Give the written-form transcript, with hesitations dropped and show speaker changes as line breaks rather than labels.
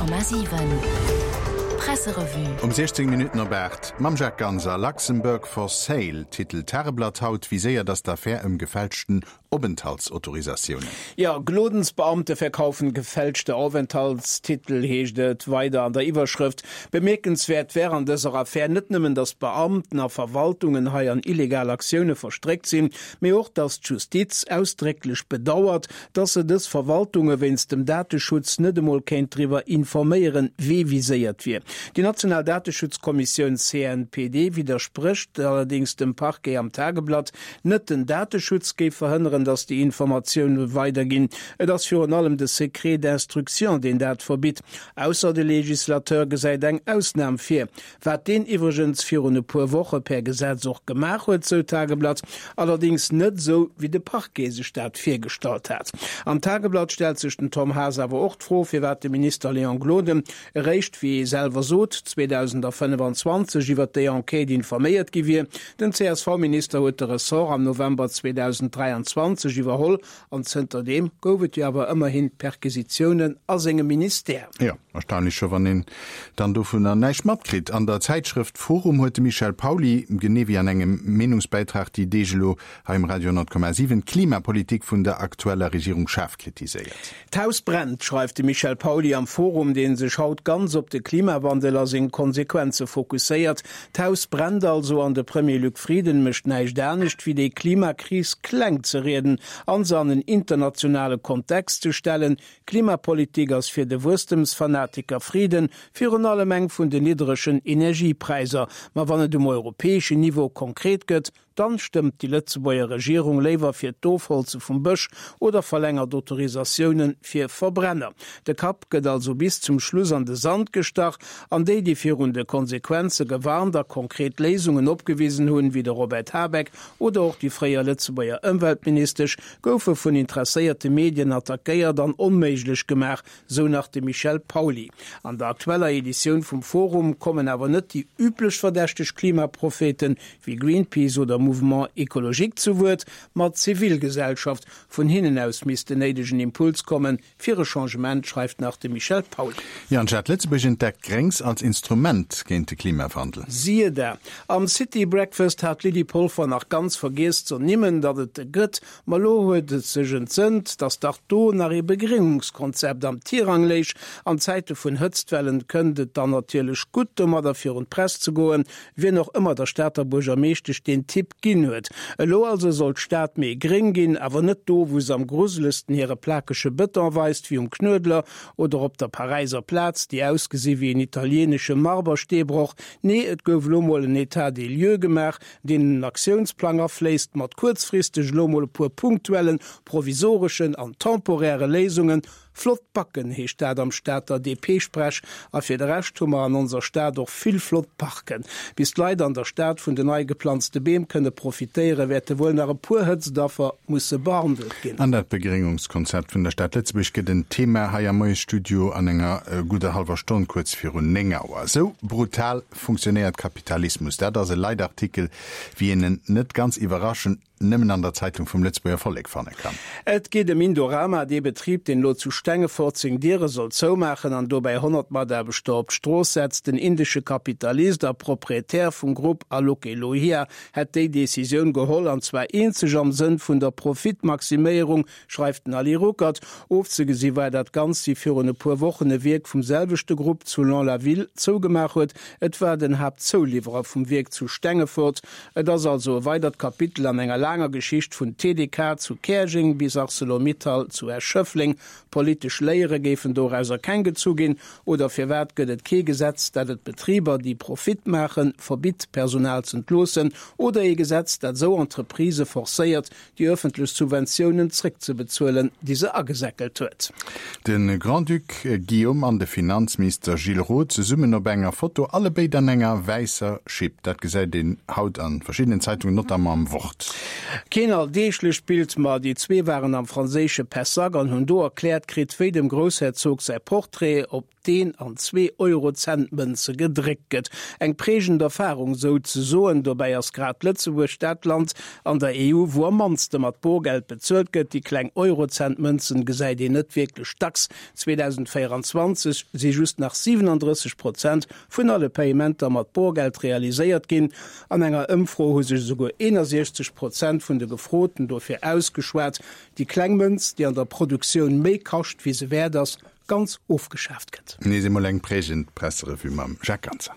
100,7 Presserevue.
Um 16 Minutten op 8 mam Jacques Ganser. Luxembourg for sale, titelt d'Tageblatt haut. Viséiert ass d'Affär ëm gefälschten Openthaltsautorisatiounen.
Jo, Glodensbeamte verkaufen gefälschte Aufenthaltstitel, heescht et weider an der Iwwerschrëft. Bemierkenswäert wär an dëser Affär net nëmmen, datt Beamten a Verwaltungen hei an illegal Aktioune verstréckt sinn, mee och, datt d'Justiz ausdrécklech bedauert, datt se dës Verwaltunge wéinst dem Dateschutz net emol kéint driwwer informéieren, wee viséiert wier. Déi national Dateschutzkommissioun CNPD widdersprécht allerdéngs dem Parquet am Tageblatt, Net den Dateschutz géif verhënneren, datt déi Informatioune weiderginn, et ass virun allem de Secret d'instruction, deen dat verbitt. Ausser de Legislateur gesäit eng Ausnam vir, wat deen iwwregens virun e puer Woche per Gesetz och gemaach huet, sou d'Tageblatt, allerdéngs net esou, wéi de Parquet sech dat virgestallt hat. Am Tageblatt stellt sech den Tom Haas awer och d'Fro, firwat de Minister Léon Gloden eréischt, wéi ee selwer sot, 2025 iwwer déi Enquête informéiert gi wier. Den CSV-Minister huet de Ressort am November 2023 iwwerholl an zënterdeem gouf et jo awer ëmmerhin Perquisitiounen a sengem Ministère.
Jo, erstaunlech scho, wann een dann dovunner näischt matkritt. An der Zäitschrëft Forum huet de Michel Pauly, genee wéi an engem Meenungsbäitrag déi Deeg elo hei um Radio 10,7, d'Klimapolitik vun der aktueller Regierung schaarf kritiséiert.
D'Haus brennt, schreift de Michel Pauly am Forum, dee sech haut ganz op de Klimawandel a seng Konsequenze fokusséiert. D'Haus brennt also an de Premier Luc Frieden mécht näischt anescht, wéi déi Klimakris kleng ze rieden an se an en internationale Kontext ze stellen. Klimapolitik ass fir de Wuesstemsfanatiker Frieden virun allem eng vun den niddregen Energiepräiser. Ma wann et um europäeschen Niveau konkret gëtt, Dann stëmmt déi Lëtzebuerger Regierung léiwer fir d'Ofholze vum Bësch oder verlängert Autorisatiounen fir Verbrenner. De Kapp gëtt also bis zum Schluss an de Sand gestach an déi, déi virun de Konsequenze gewarnt a konkret Léisungen opgewisen hunn, wéi de Robert Habeck oder och déi fréier Lëtzebuerger Ëmweltministesch, goufe vun interesséierte Medien attackéiert an onméiglech gemaach, sou nach de Michel Pauly. An der aktueller Editioun vum Forum kommen awer net déi üblech verdächteg Klimapropheten wéi Greenpeace oder Mouvement Ecologique zu Wuert, ma d'Zivilgesellschaft. Vun hinnen aus misst den néidegen Impuls kommen fir e Changement, schreift nach de Michel Pauly.
Jo, an d'Stad Lëtzebuerg entdeckt Gréngs als Instrument géint de Klimawandel.
Siehe da, am City Breakfast hat d'Lydie Polfer nach ganz vergiess z'ernimmen, datt et e gëtt. Ma lo huet et sech entsënnt, datt dach do nach ee Begréngungskonzept am Tirang léich. An Zäite vun Hëtztwellen kënnt et dann natierlech gutt, domadder virun d'Press ze goen, wien och ëmmer der Stater Buergermeeschtesch deen Tipp ginn huet. Elo also soll d'Stad méi gréng ginn, awer net do, wou se am gruselegsten hire plakege Bëton weist, wéi um Knuedler oder op der Paräiser Plaz, déi ausgesi wéi en italienesche Marbersteebroch. Nee, et gouf elo mol en État des lieux gemaach, deen en Aktiounsplang afléisst, mat kuerzfristeg elo mol e puer punktuellen, provisoreschen an temporäre Léisungen. Flott Backen heescht dat am Stater DP-Sprech. A fir de Rescht hu mer an onser Stad och vill flott Parken. Bis d'Leit an der Stad vun den nei geplanzte Beem kënne profitéieren, wäerte wuel nach e puer Hëtztaffer musse behandelt ginn.
An dat Begréngungskonzept vun der Stad Lëtzebuerg gëtt en Thema hei am Moiesstudio an enger gudder hallwer Stonn, kuerz virun 9 Auer. Esou brutal Funktionéiert Kapitalismus? Dat ass e Leitartikel, wéi een en net ganz iwwerraschend nëmmen an der Zeitung vum Lëtzebuerger Vollek fanne kann.
Et geet ëm Indorama, dee Betrib, deen elo zu Stengefort seng Diere soll zoumaachen an dobäi 100 Mataarbechter op d'Strooss setzt. Den indesche Kapitalist a Proprietär vum Grupp Aloke Lohia hätt déi Decisioun geholl, an zwar eenzeg am Sënn vun der Profitmaximéierung, schreift den Ali Ruckert. Ofzegesi war dat Ganzt, wéi virun e puer Wochen e Wierk vum selwechte Grupp zu Lons-la-Ville zougemaach huet. Et war den Haaptzouliwwerer vum Wierk zu Stengefort. Et ass also e weidert Kapitel an enger laanger Geschicht vun TDK zu Käerjeng bis Arcelor-Mittal zu Esch-Schëffleng. Politesch Léiere géifen dorauser keng gezu ginn. Oder firwat gëtt et kee Gesetz, dat et Betriber, déi Profit maachen, verbitt, Personal z'entloossen? Oder ee Gesetz, dat esou Entreprisë forcéiert, déi ëffentlech Subventiounen zréckzebezuelen, déi se agesäckelt huet.
De Grand-Duc Guillaume an de Finanzminister Gilles Roth zesummen op enger Foto, allebéid an enger wäisser Schipp. Dat gesäit een haut a verschiddenen Zeitungen, notamment am Wort.
Keen alldeeglecht Bild, ma déi zwee waren am franséische Pessac an hunn do erkläert kritt, wéi dem Groussherzog säi Portrait op deen an Zwee-Euro-Cent-Mënze gedréckt gëtt. Eng prägend Erfarung souzesoen. Dobäi ass grad Lëtzebuerg dat Land an der EU, wou am mannste mat Borgeld bezuelt gëtt. Déi kleng Euro-Cent-Mënzen gesäit een net wierklech dacks. 2024 si just nach 37 Prozent vun alle Payementer mat Borgeld realiséiert ginn. An enger Ëmfro hu sech esouguer 61 Prozent vun de Gefroten dofir ausgeschwat, déi kleng Mënz, déi an der Produktioun méi kascht, wéi se wäert ass, ganz ofgeschaaft gëtt.
Nees emol eng prägend Presserevue mam Jacques Ganser.